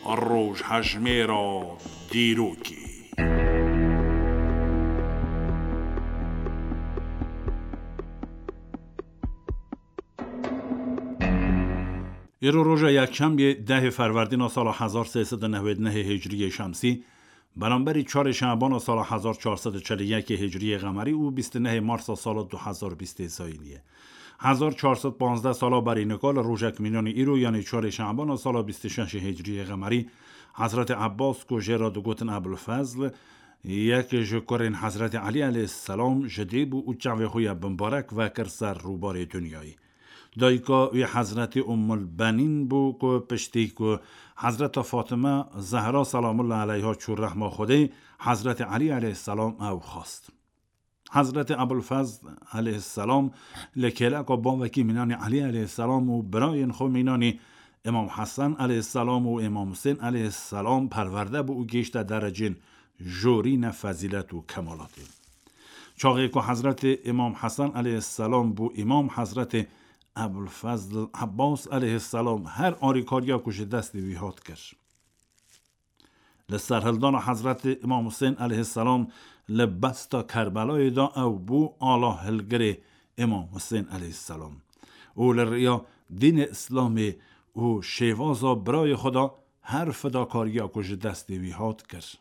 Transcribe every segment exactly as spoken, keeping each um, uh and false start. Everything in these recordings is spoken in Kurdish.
Rojhejmêra dîrokê. Îro roja yekşemiyê dehê Ferwerdîna sala hezar sê sed û newêd nehê Hicriyê Şemsî, beramberî çarê Şebana sala hezar çar sed û çel û yekê Hicriyê Qemerî û bîst û nehê Marsa sala du hezar bîstê Zayînî ye. Hezar çar sed panzdeh sala berî nika li rojek mînanî îro, yanî çarê Şebana sala bîst û şeşê Hicriyê Qemerî, Hezretê Ebbas ku jê re digotin Ebulfezl, yek ji kurên Hezretê Elî eleyhîsselam ji dê bû û çavê xwe ya bimbarek vekir ser rûbarê dinyayê. Dayika wî Hezretî Ummul Benîn bû ku piştî ku Hezreta Fatime Zehra selamullah eleyha çû rehma Xwedê, Hezretî Elî eleyhîsselam ew xwest. Hezretî Ebulfezl eleyhîsselam li kêleka bavekî mînanî Elî eleyhîsselam û birayên xwe mînanî Îmam Hesen eleyhîsselam û Îmam Husên eleyhîsselam perwerde bû û gihîşte derecên jorîne fezîlet û kemalatê. Çaxê ku Hezretî Îmam Hesen eleyhîsselam bû îmam, Hezretî Ebulfezl Ebbas eleyhîsselam her arîkariya ku ji destê wî hat kir. Li serhildana Hezretî Îmam Husên eleyhîsselam li besta Kerbelayê de ew bû ala hilgirê Îmam Husên eleyhîsselam û li riya dînê Îslamê û şêvaza birayê xwe de her fidakariya ku ji destê wî hat kir.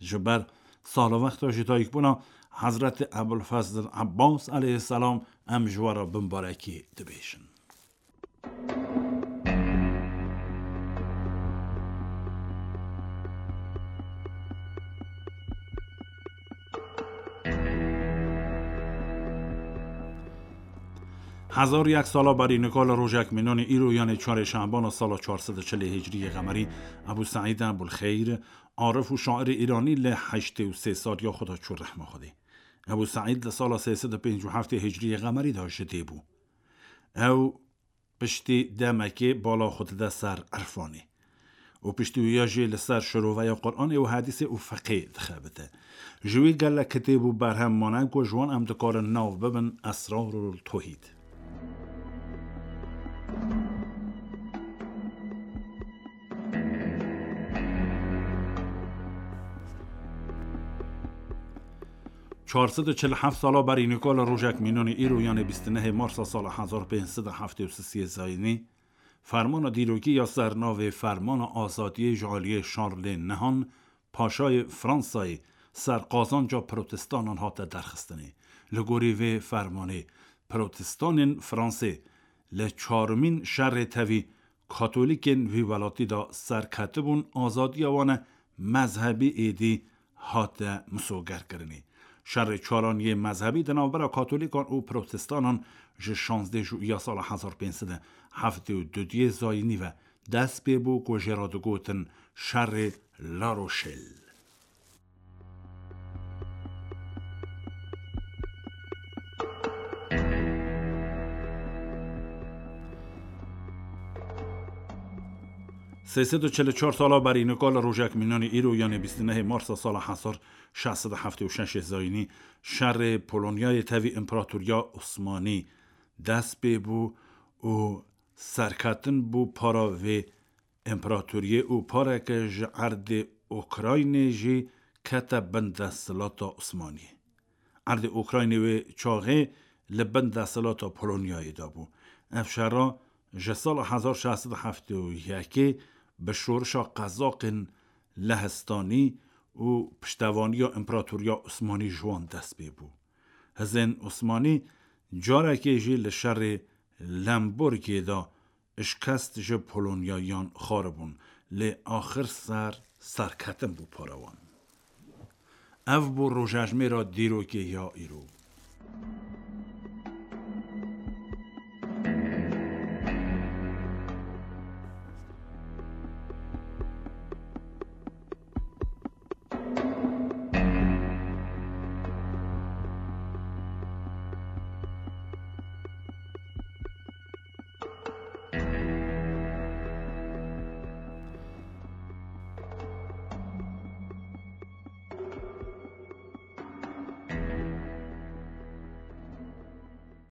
Ji ber salwexta ji dayikbûna Hezretî Ebulfezl Ebbas eleyhîsselam em ji we re bimbarekî dibêjin. Hezar yek sala berî nika li rojek mînanî îro, yanê çarê Şebana sala çar sed û çelê Hicriyê Qemerî, Ebû Seîd Ebûlxeyr, arif û şairê îranî li heştê û sê saliya xwe de çû rehma Xwedê. Ebû Seîd li sala sê sed û pêncî û heftê Hicriyê Qemerî de ji dê bû. Ew piştî demekê bala xwe dide ser irfanê û piştî wî ya jî li ser şiroveya Quranê û hedîsê û fiqê dixebite. Ji wî gelek kitêb û berhem mane ku ji wan em dikarin nav bibin Esrarul Tohîd. Çar sed û çil û heft sala berî nika li rojek mînanî îro, yanê bîst û nehê Marsa sala hezar pênc sed û heftê û sisê Zayînî, fermana dîrokî ya ser navê Fermana Azadiyê ji aliyê Şarlê Nihan, Paşayê Fransayê, ser qazanca protestanên hate derxistinê. Li gorî vê fermanê, protestanên Fransê li çarmîn şerê tevî Katolîkên vî welatî de serketibûn, azadiya wan e mezhebî êdî hate misogerkirinê. Şerê çaraniyê mezhebî di navbera Katolîkan û Protestanan ji şazdeh Juya sala hezar pênc sed û heftê û duyê Zayînî ve dest pê bû ku jê re digotin şerê La Rochelle. Sê sed û çil û çar sala berî nika li rojek mînanî îro, yanê bîst û nehê Marsa sala hezar şeş sed û heftê û şeş Zayînî, şerê Polonyayê tevî Împaratoriya Osmanî dest pê bû û serketin bû para vê împaratoriyê û pareke ji erdê Ukraynê jî kete bin desthilata Osmaniyê. Erdê Ukraynê wê çaxê li bin desthilata Polonyayê de bû. Ev şera ji sala hezar şeş sed û heftê û yekê bi şorişa qezaqên Lehistanî û piştevaniya Împaratoriya Osmanî ji wan dest pê bû. Hizên Osmanî carekê jî li şerê Lemborgê de şikest ji Polonyayan xwaribûn, lê axir ser serketin bû para wan. Ev bû rojejmêra dîrokê ya îro.